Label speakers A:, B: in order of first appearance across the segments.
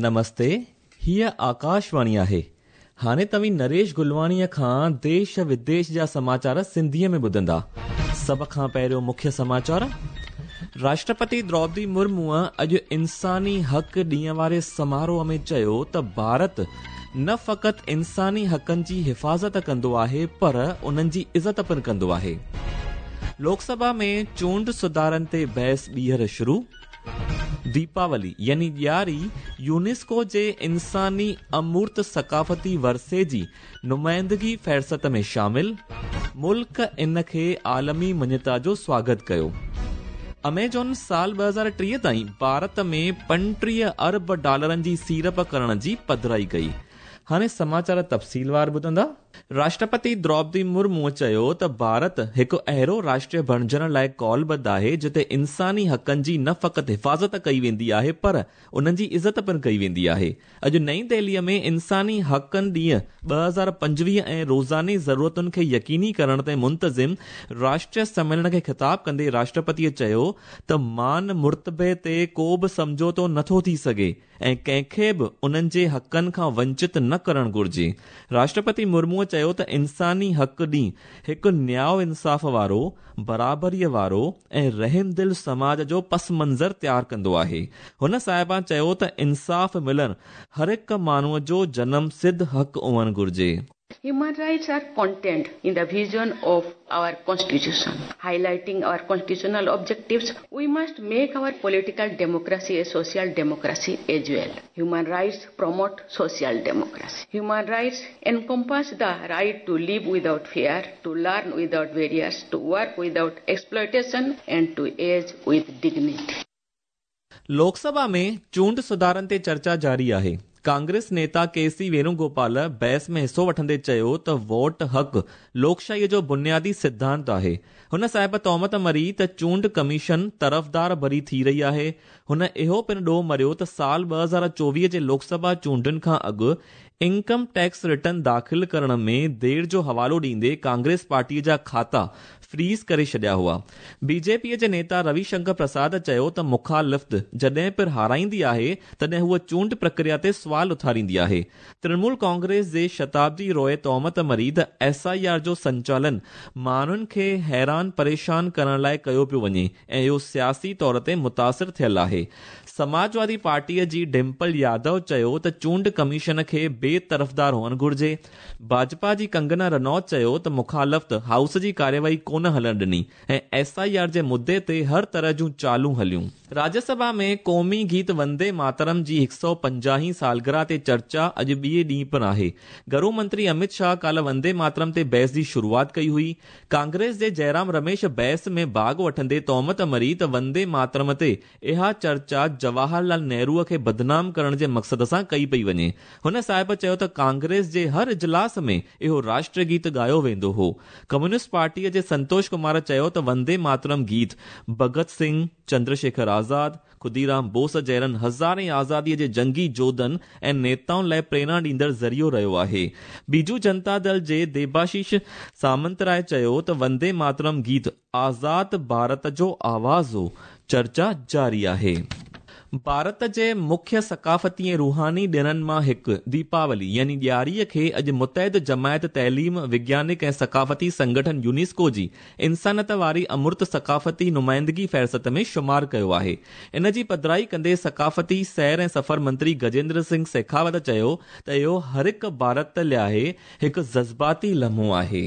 A: نمستي، هيء آڪاشواڻي آهي. هاڻي توهين نريش گلواڻيء کان ديش وديش جا سماچار سنڌيء ۾ ٻڌندا. سڀ کان پهريون مکيه سماچار. راشٽرپتي دروپدي مرموء اڄ انساني حق ڏينهن واري سماروهه ۾ چيو ته ڀارت نه فقط انساني حقن جي حفاظت ڪندو آهي پر انهن جي عزت پڻ ڪندو آهي. لوڪ سڀا ۾ چونڊ سڌارن تي بحث ٻيهر شروع. ديپاولي يعني ڏياري يونيسڪو جي انساني امورت ثقافتي ورثي جي نمائندگي فهرست ۾ شامل، ملڪ ان کي عالمي مڃتا جو سواگت ڪيو. اميزون سال 2030 تائين ڀارت ۾ 35 ارب ڊالرن جي سيڙپ ڪرڻ جي پڌرائي ڪئي. هاڻي سماچار تفصيلوار ٻڌندا. راشٽرپتي دروپدي مرموء چيو ته ڀارت هڪ اهڙو راشٽر بڻجڻ لاء قولبڌ آهي جتي انساني حقن جي نه فقط حفاظت ڪئي ويندي آهي پر انهن جي عزت پڻ ڪئي ويندي آهي. اڄ نئين دهليء ۾ انساني حقن ڏينهن 2025 ۽ روزاني ضرورتن کي يقيني ڪرڻ تي منتظم راشٽريه سميلن کي خطاب ڪندي راشٽرپتيء چيو ته مان مرتبي تي ڪو به سمجهوتو نٿو ٿي سگهي ۽ ڪنهن کي به انهن جي حقن کان ونچت نه ڪرڻ گهرجي. راشٽرپتي مرموء چيو ته انساني حق ڏينهن هڪ نياء انصاف وارو، برابريء وارو ۽ رحمدل سماج جو پس منظر تيار ڪندو آهي. هن صاحبان چيو ته انصاف ملڻ هر هڪ ماڻهوء جو جنم سڌ حق هئڻ گهرجي.
B: Human rights are contained in the vision of our constitution. Highlighting our constitutional objectives, we must make our political democracy a social democracy as well. Human rights promote social democracy. Human rights encompass the right to live without fear, to learn without barriers, to work without exploitation, and to age with dignity.
A: Lok Sabha ۾ چونڊ سڌارن تي چرچا جاري آهي. Congress نيتا ڪي سي وينوگوپال بحث ۾ حصو وٺندي چيو ته ووٽ حق لوڪشاهيء جو بنيادي سڌانت آهي. هن صاحب تهمت مڙهي ته چونڊ ڪميشن طرفدار بري ٿي رهي آهي. هن اهو پڻ ڏوهه مڙهيو ته سال 2024 جي لوڪسڀا چونڊن کان اڳ انڪم ٽيڪس ريٽرن داخل ڪرڻ ۾ دير جو حوالو ڏيندي ڪانگريس پارٽيء جا کاتا فريز ڪري ڇڏيا هئا. بي جي پيء جي نيتا روي شنڪر پرساد چيو ته مخالفت جڏهن پڻ هارائيندي آهي تڏهن هوء چونڊ پرڪريا تي سوال اٿاريندي آهي. ترڻمول ڪانگريس جي شتابدي روء تهمت مڙهي ته ايس I R جو سنچالن ماڻهن کي حيران پريشان ڪرڻ لاء ڪيو پيو وڃي ۽ اهو سياسي طور تي متاثر ٿيل آهي. سماجوادي پارٽيء جي ڊمپل يادو چيو ته چونڊ ڪميشن کي بي طرفدار هئڻ گهرجي. ڀاجپا جي ڪنگنا رنوت چيو ته مخالفت هائوس جي ڪارروائي ڪونه هلڻ ڏني ۽ ايس I R جي مدي تي هر طرح جون چالون هليون. راجيه سڀا ۾ قومي گيت وندي ماترم جي 150 هين سالگرهه تي چرچا اڄ ٻئي ڏينهن پڻ آهي. گهرو منتري امت شاهه ڪالهه وندي ماترم تي بحث جي شروعات ڪئي هئي. ڪانگريس جي جئرام رميش بحث ۾ ڀاڳ وٺندي تهمت مڙهي ته وندي ماترم تي اها چرچا جواهر لال نهروء کي بدنام ڪرڻ جي مقصد سان ڪئي پئي وڃي. هن صاحب چيو ته ڪانگريس جي هر اجلاس ۾ اهو راشٽر گيت ڳايو ويندو هو. ڪميونسٽ پارٽيء جي سنتوش ڪمار چيو ته وندي ماترم گيت ڀڳت سنگهه، چندر شيکر آزاد، خديرام بوس جهڙن هزارين آزاديء جي جنگي جوڌن ۽ نيتائن لاء پريرڻا ڏيندڙ ذريعو رهيو آهي. بيجو جنتا دل جي ديباشيش سامنتراء چيو ته وندي ماترم گيت آزاد ڀارت جو آواز هو، چرچا جاري آهي. ڀارت جي مکيه ثقافتي ۽ روحاني ڏڻن مان هڪ ديپاولي يعني ڏياريء کي اڄ متحد جماعت تعليم، وگيانڪ ۽ ثقافتي سنگٺن يونيسڪو جي انسانيت واري امرت ثقافتي نمائندگي فهرست ۾ شمار ڪيو آهي. ان جي پڌرائي ڪندي ثقافتي سير ۽ سفر منتري گجيندر سنگهه شيخاوت چيو ته اهو هرهڪ ڀارت لاء هڪ جذباتي لمحو آهي.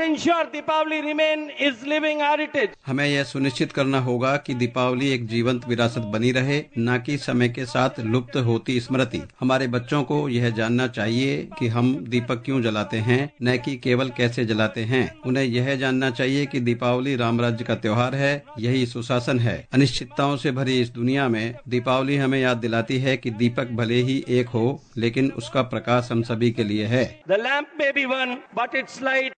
C: Ensure Deepavali remain is living heritage.
D: हमें यह सुनिश्चित करना होगा कि दीपावली एक जीवंत विरासत बनी रहे, न कि समय के साथ लुप्त होती स्मृति। हमारे बच्चों को यह जानना चाहिए कि हम दीपक क्यों जलाते हैं, न कि केवल कैसे जलाते हैं। उन्हें यह जानना चाहिए कि दीपावली राम राज्य का त्योहार है, यही सुशासन है। अनिश्चितताओं से भरी इस दुनिया में दीपावली हमें याद दिलाती है कि दीपक भले ही एक हो, लेकिन उसका प्रकाश हम सभी के लिए है।
C: The lamp may be one, but its light.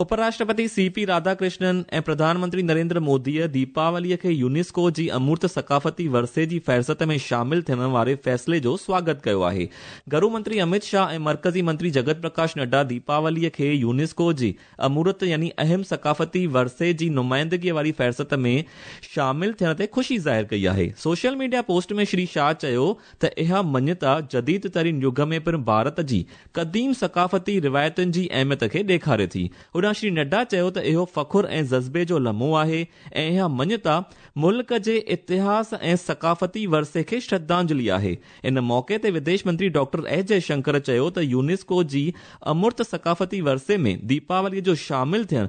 A: उपराष्ट्रपति सीपी राधाकृष्णन ऐं प्रधानमंत्री नरेंद्र मोदीअ दीपावलीअ खे यूनेस्को जी अमूर्त सकाफ़ती वरसे जी फ़हरिस्त में शामिल थियण वारे फ़ैसिले जो स्वागत कयो आहे। घरू मंत्री अमित शाह ऐं मर्कज़ी मंत्री जगत प्रकाश नड्डा दीपावलीअ खे यूनेस्को जी अमूर्त यानी अहम सकाफ़ती वरसे जी नुमाइंदगीअ वारी फ़हरिस्त में शामिल थियण ते ख़ुशी ज़ाहिर कई आहे। सोशल मीडिया पोस्ट में श्री शाह चयो त इहा मञता जदीद तरीन युग में पिणु भारत जी क़दीम सकाफ़ती रिवायतुनि जी अहमियत खे ॾेखारे थी। होॾां श्री नड्डा चयो त इहो फ़ख़ुरु ऐं जज़्बे जो लम्हो आहे ऐं इहा मञता मुल्क जे इतिहास ऐं सकाफ़ती वरसे खे श्रद्धांजलि आहे। इन मौक़े ते विदेश मंत्री डॉक्टर एस जयशंकर चयो त यूनेस्को जी अमूर्त सकाफ़ती वरसे में दीपावलीअ जो शामिल थियणु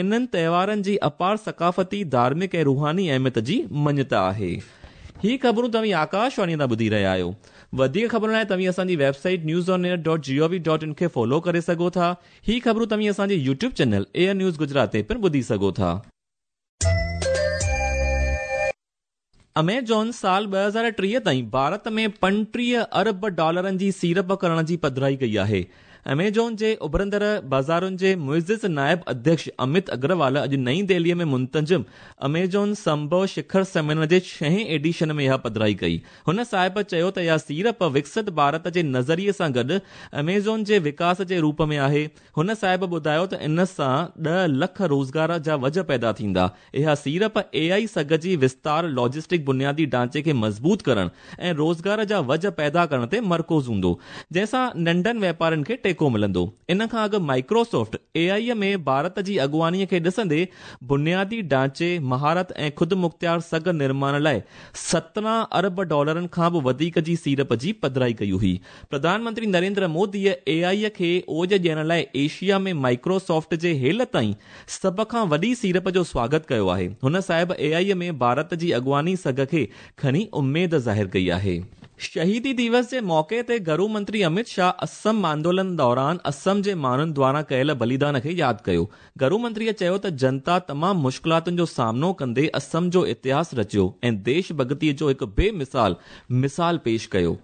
A: इन्हनि त्योहारनि जी अपार सकाफ़ती, धार्मिक ऐं रूहानी अहमियत जी मञता आहे। ही ख़बरूं तव्हीं आकाशवाणी तां ॿुधी रहिया आहियो। वधीक ख़बरुनि लाइ तव्हीं असांजी वेबसाइट newsonair.gov.in खे फॉलो करे सघो था। ही ख़बरूं तव्हीं असांजे YouTube channel AIR news Gujarat ते पिणु ॿुधी सघो था। अमेज़ॉन साल 2030 ताईं भारत में 35 अरब डॉलरनि जी सीड़प करण जी पधराई कई आहे। अमेज़ॉन जे उभरंदड़ बाज़ारुनि जे मुइज़िज़ नायब अध्यक्ष अमित अग्रवाल अॼु नई दिल्लीअ में मुंतज़िम अमेज़ॉन संभव शिखर सम्मेलन जे 6हें एडिशन में इहा पधराई कई। हुन साहिब चयो त इहा सीड़प विकसित भारत जे नज़रिए सां गॾु अमेज़ॉन जे विकास जे रूप में आहे। हुन साहिब ॿुधायो त इन सां 10 लख रोज़गार जा वज पैदा थींदा। इहा सीड़प एआई सघ जी विस्तार, लॉजिस्टिक बुनियादी ढांचे खे मज़बूत करण ऐं रोज़गार जा वज पैदा करण ते मरकूज़ हूंदो, जंहिंसां नंढनि वेपारियुनि खे टेको मिलंदो। इन खां अॻु माइक्रोसॉफ्ट एआई में भारत जी अॻुवानीअ खे ॾिसंदे बुनियादी ढांचे, महारत ऐं ख़ुदि मुख़्तियार सघ निर्माण लाइ 17 अरब डॉलरनि खां बि वधीक जी सीड़प जी पधराई कई हुई। प्रधानमंत्री नरेंद्र मोदीअ एआई खे ओज ॾियण लाइ एशिया में माइक्रोसॉफ्ट जे हेल ताईं सभ खां वॾी सीड़प जो स्वागत कयो आहे। हुन साहिब एआई में भारत जी अॻुवानी सघ खे खणी उमेद ज़ाहिर कई आहे। शहीदी दिवस जे मौक़े ते घरू मंत्री अमित शाह असम आंदोलन दौरान असम जे माण्हुनि द्वारा कयल बलिदान खे यादि कयो। घरू मंत्रीअ चयो त जनता तमामु मुश्किलातुनि जो सामनो कंदे असम जो इतिहास रचियो ऐं देश भगतीअ जो हिकु बेमिसाल मिसाल पेश कयो।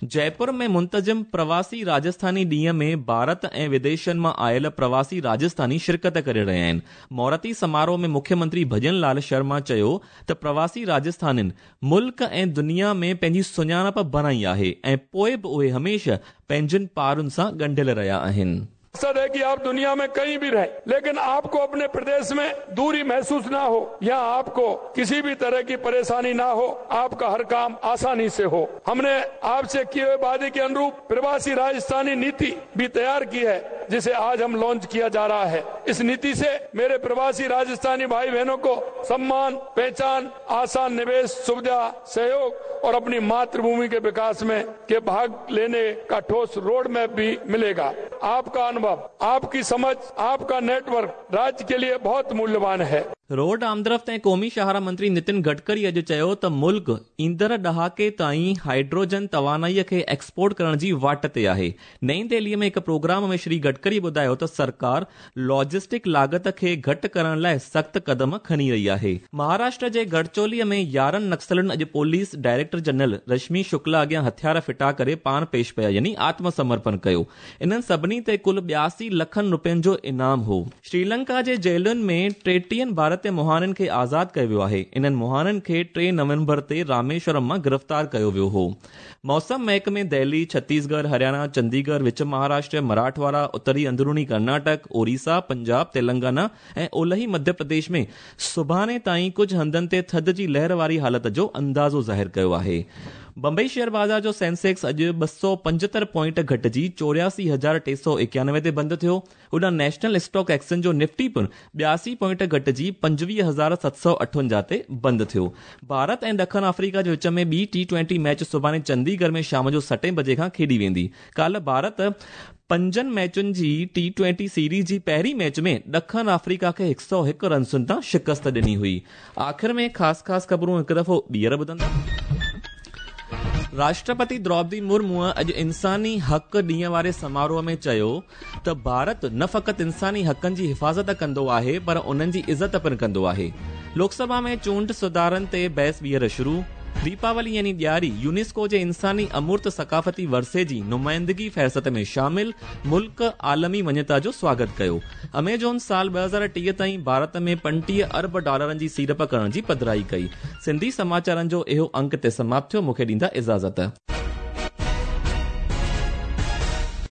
A: जयपुर में मुंतज़िम प्रवासी राजस्थानी ॾींहं में भारत ऐं विदेशनि मां आयल प्रवासी राजस्थानी शिरकत करे रहिया आहिनि। मौरती समारोह में मुख्यमंत्री भजन लाल शर्मा चयो त प्रवासी राजस्थानियुनि मुल्क ऐं दुनिया में पंहिंजी सुञाणप बणाई आहे ऐं पोइ बि उहे हमेशह पंहिंजनि पारुनि सां ॻंढियल रहिया आहिनि।
E: मकसद है कि आप दुनिया में कहीं भी रहें, लेकिन आपको अपने प्रदेश में दूरी महसूस ना हो या आपको किसी भी तरह की परेशानी ना हो, आपका हर काम आसानी से हो। हमने आपसे किए हुए वादे के अनुरूप प्रवासी राजस्थानी नीति भी तैयार की है, जिसे आज हम लॉन्च किया जा रहा है। इस नीति से मेरे प्रवासी राजस्थानी भाई बहनों को सम्मान, पहचान, आसान निवेश सुविधा, सहयोग और अपनी मातृभूमि के विकास में के भाग लेने का ठोस रोड मैप भी मिलेगा। आपका अनुभव, आपकी समझ, आपका नेटवर्क राज्य के लिए बहुत मूल्यवान है।
A: रोड आमदरफ़्त ऐं क़ौमी शाहरा मंत्री नितिन गडकरी अॼु चयो त मुल्क ईंदड़ ॾहाके ताईं हाइड्रोजन तवानाईअ खे एक्सपोर्ट करण जी वाट ते आहे। नई दिल्लीअ में हिकु प्रोग्राम में श्री गडकरी ॿुधायो त सरकार लॉजिस्टिक लागत खे घटि करण लाइ सख़्तु क़दम खणी रही आहे। महाराष्ट्र जे गढ़चोलीअ में 11 नक्सलनि अॼु police director general Rashmi Shukla अॻियां हथियार फिटा करे पाण पेश पिया, यानी आत्मसमर्पण कयो। इन्हनि सभिनी ते कुल 82 लखनि रुपयनि जो इनाम हो। श्रीलंका जे जेलुनि में 33 भारतीय मुहाननि खे आज़ाद कयो वियो आहे। इन्हनि मुहाननि खे 3 नवंबर ते रामेश्वरम मां गिरफ़्तार कयो वियो हो। मौसम महकमे दिल्ली, छत्तीसगढ़, हरियाणा, चंडीगढ़, विच महाराष्ट्र, मराठवाड़ा, उत्तरी अंदरूनी कर्नाटक, ओडिशा, पंजाब, तेलंगाना ऐं ओलही मध्य प्रदेश में सुभाणे ताईं कुझु हंधनि ते थधि जी लहर वारी हालत जो अंदाज़ो ज़ाहिर कयो आहे। बंबई शेयर बाज़ार जो सेंसेक्स अॼु 275 पॉइंट घटिजी 84,391 ते बंदि थियो। होॾां नेशनल स्टॉक एक्सचेंज जो निफ्टी पिणु 82 पॉइंट घटिजी 25,758 ते बंदि थियो। भारत ऐं ॾखण अफ्रीका जे विच में ॿी T20 match सुभाणे चंडीगढ़ में शाम जो 7 बजे खां खेॾी वेंदी। काल्ह भारत 5 मैचुनि जी T20 series जी पहिरीं मैच में ॾखण अफ्रीका खे 101 रनसुनि तां शिकस्त ॾिनी हुई। आख़िर में ख़ासि ख़ासि ख़बरूं हिकु दफ़ो ॿीहर ॿुधंदा। राष्ट्रपति द्रौपदी मुर्मू अॼु इंसानी हक़ ॾींहं वारे समारोह में चयो त भारत न फ़क़ति इंसानी हक़नि जी हिफ़ाज़त कंदो आहे पर उन्हनि जी इज़त पिणु कंदो आहे। लोकसभा में चूंड सुधारनि ते बहस ॿीहर शुरू। ديپاولي يعني ڏياري يونيسڪو جي انساني امورت ثقافتي ورثي جي نمائندگي فهرست ۾ شامل، ملڪ عالمي مڃتا جو سواگت ڪيو. اميزون سال 2030 تائين ڀارت ۾ 35 ارب ڊالرن جي سيڙپ ڪرڻ جي پڌرائي ڪئي. سنڌي سماچارن جو اهو انڪ هتي سماپت ٿيو، مون کي ڏيندا اجازت.